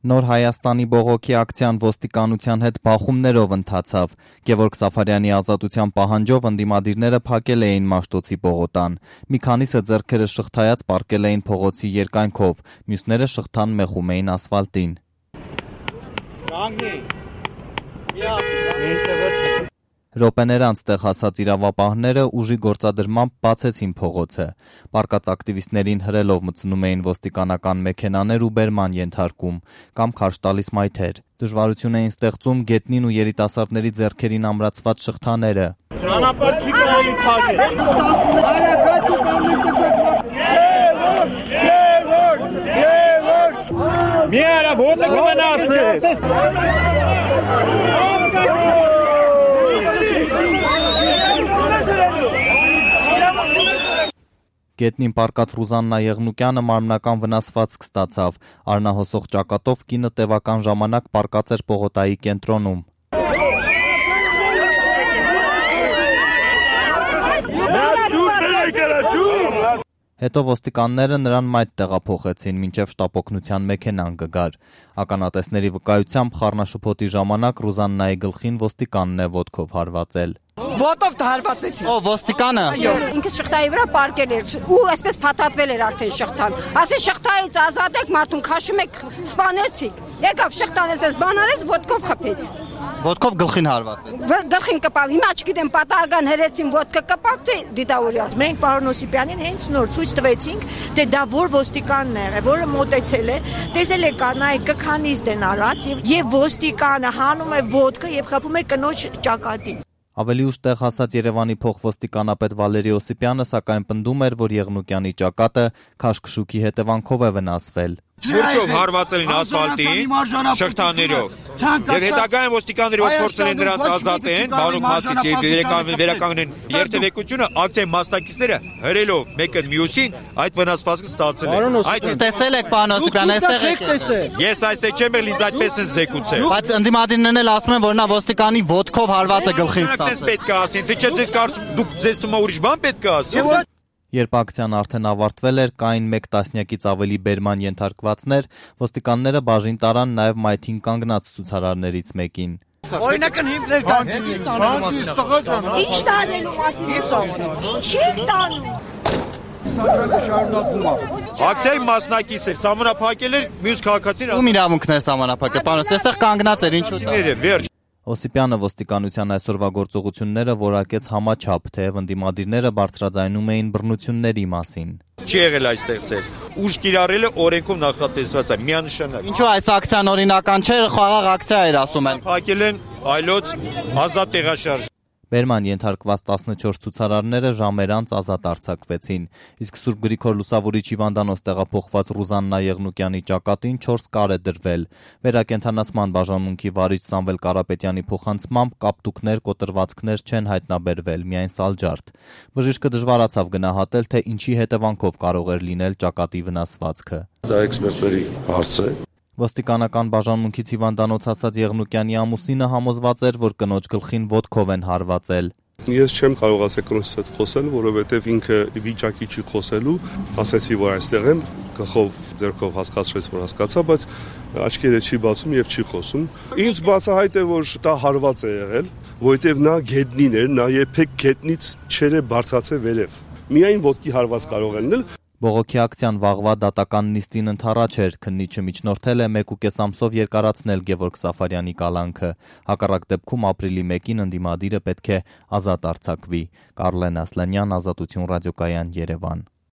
Նոր Հայաստանի բողոքի ակցիան ոստիկանության հետ բախումներով ընթացավ։ Գևորգ Սաֆարյանի ազատության պահանջով ընդդիմադիրները փակել էին Մաշտոցի պողոտան։ Մի քանիսը ձեռքերը շղթայած պառկել էին փողոցի երկայնքով, մյուսները շղթան մեխում էին ասֆալտին։ Րոպեներ անց տեղ հասած իրավապահները ուժի գործադրմամբ բացեցին փողոցը։ Պառկած ակտիվիստներին հրելով մտցնում էին ոստիկանական մեքենաներ ու բերման ենթարկում կամ քարշ տալիս մայթեր։ Դժվարություն էին ստեղծում գետնին ու երիտասարդների ձեռքերին ամրացված շղթաները։ Ճանապարհ չի կարելի փակել։ Մի արա ոտը կմնացես։ Գետնին պառկած Ռուզաննա Եղնուկյանը մարմնական վնասվածք ստացավ։ Արնահոսող ճակատով կինը տևական ժամանակ պառկած էր պողոտայի կենտրոնում։ Հետո ոստիկանները նրան մայթ տեղափոխեցին, մինչև շտապօգնության մեքենան կգար։ Ականատեսների վկայությամբ խառնաշփոթի ժամանակ Ռուզաննայի գլխին ոստիկանն է ոտքով հարվածել։ Ոտով հարվածեցին։ Ո ոստիկանը։ Ինքը շղթայի վրա պարկել էր ու այսպես փաթաթվել էր արդեն շղթան։ Ասի շղթայից ազատեք մարդուն, քաշում եք, սպանեցիք։ Եկավ շղթան էս բանարեց, ոտքով խփեց։ Ոտքով գլխին հարվածեց։ Գլխին կպավ։ Հիմա չգիտեմ պատահական հերեցին ոտքը կպավ, թե դիտավորյալ։ Մենք պարոն Օսիպյանին հենց նոր ցույց տվեցինք, թե դա որ ոստիկանն է, որը մոտեցել է, տեսել է կանայք կքանիստ են արած եւ ոստիկանը հանում է ոտքը եւ խփում է կնոջ ճակատին։ Ավելի ուշ տեղ հասած Երևանի փոխվոստիկանապետ Վալերի Օսիպյանը սակայն պնդում էր, որ Եղնուկյանի ճակատը քաշքշուկի հետևանքով է վնասվել։ Թուրքով հարվածել են ասֆալտին, շղթաներով։ Եվ հետագայում ոստիկանները որ փորձել են նրանց ազատեն, բանուկ մասից եւ վերականգնեն երթևեկությունը, ակցիայի մասնակիցները հրելով մեկը մյուսին այդ վնասվածքը ստացել են։ Այդ տեսել եք պարոն Օսիպյան, այստեղ եք տեսել։ Ես այստեղ չեմ, ինձ այդպես են զեկուցել։ Բայց ընդդիմադիրներն էլ ասում են, որ նա ոստիկանի ոտքով հարված է գլխին ստացել։ Պետք է ասեն, թե չէ ձեզ կարծում դուք ձեզ թվում է ուրիշ բան պետք է ասեն։ Երբ ակցիան արդեն ավարտվել էր, կային 1 տասնյակից ավելի բերման ենթարկվածներ, ոստիկանները բաժին տարան նաև մայթին կանգնած ցուցարարներից մեկին։ Օրինակն հիմներ կան։ Ինչ տանելու մասին է խոսքը։ Ինչ եք տանում։ Ակցիայի մասնակից էր, սահմանափակել էր մյուս քաղաքացին։ Ում իրավունքներ սահմանափակել, պարոն, այստեղ կանգնած էր, ինչու՞ դա։ Վերջ։ Օսիպյանը ոստիկանության այսօրվա գործողությունները որակեց համաչափ, թեև ընդդիմադիրները բարձրաձայնում էին բռնությունների մասին։ Չի եղել այստեղ ձեր։ Ուժ կիրառելը օրենքով նախատեսված է, միանշանակ։ Ինչու այս ակցիան օրինական չէ, խաղաղ ակցիա էր, ասում են։ Փակել են այլոց ազատ տեղաշարժ։ Բերման ենթարկված 14 ցուցարարները ժամեր անց ազատ արձակվեցին, իսկ Սուրբ Գրիգոր Լուսավորիչ հիվանդանոց տեղափոխված Ռուզաննա Եղնուկյանի ճակատին 4 կար է դրվել։ Վերակենդանացման բաժանմունքի վարիչ Սամվել Կարապետյանի փոխանցմամբ կապտուկներ, կոտրվածքներ չեն հայտնաբերվել, միայն սալջարդ։ Բժիշկը դժվարացավ գնահատել, թե ինչի հետևանքով կարող էր լինել ճակատի վնասվածքը։ Դա էքսպերտների հարց է։ Ոստիկանական բաժանմունքից հիվանդանոց հասած Եղնուկյանի ամուսինը համոզված էր, որ կնոջ գլխին ոտքով են հարվածել։ Ես չեմ կարող ասել կնոջս հետ խոսել, որովհետև ինքը վիճակի չի խոսելու, ասեցի, որ այստեղ եմ, գլխով, ձեռքով հասկացրեց, որ հասկացա, բայց աչքերը չի բացում եւ չի խոսում։ Ինձ բացահայտ է, որ դա հարված է եղել, որովհետև նա գետնին էր, նա երբեք գետնից չէր բարձրացել վերև։ Միայն ոտքի հարված կարող է լինել։ Բողոքի ակցիան վաղվա դատական նիստին ընդառաջ էր, քննիչը միջնորդել է 1.5 ամսով երկարացնել Գևորգ Սաֆարյանի կալանքը։ Հակառակ դեպքում ապրիլի 1-ին ընդդիմադիրը պետք է ազատ արձակվի։ Կարլեն Ասլանյան, Ազատություն ռադիոկայան, Երևան։